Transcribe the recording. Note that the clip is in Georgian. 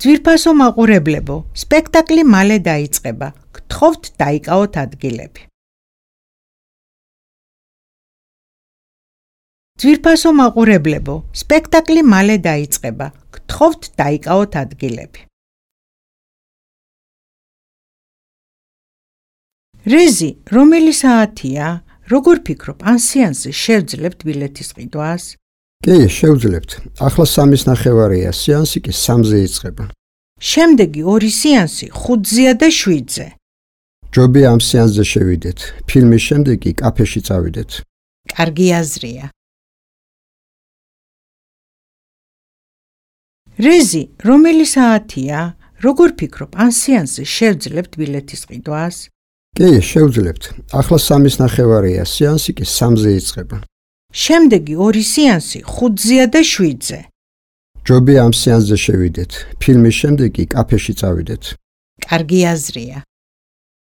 ძვირფასო მაყურებლებო, სპექტაკლი მალე დაიწყება. გთხოვთ დაიკავოთ ადგილები. ძვირფასო მაყურებლებო, სპექტაკლი მალე დაიწყება. გთხოვთ დაიკავოთ ადგილები. რეზი, რომელი საათია? როგორ ფიქრობ, ან სეანსზე შევძლებთ ბილეთის ყიდვას? კი, შევძლებთ. ახლა 3:30-ია, სეანსი კი 3-ზე იწყება. შემდეგი 2 სეანსი 5-ზეა და 7-ზე. ჯობია ამ სეანსზე შევიდეთ. ფილმის შემდეგ კი კაფეში წავიდეთ. კარგი აზრია. რეზი, რომელი საათია? როგორ ფიქრობ, ან სეანსზე შევძლებთ ბილეთის ყიდვას? კი, შევძლებთ. ახლა 3:30-ია, სეანსი კი 3-ზე იწყება. შემდეგი 2 სეანსი 5-ზეა და 7-ზე. ჯობია ამ სეანსზე შევიდეთ. ფილმის შემდეგ კი კაფეში წავიდეთ. კარგი აზრია.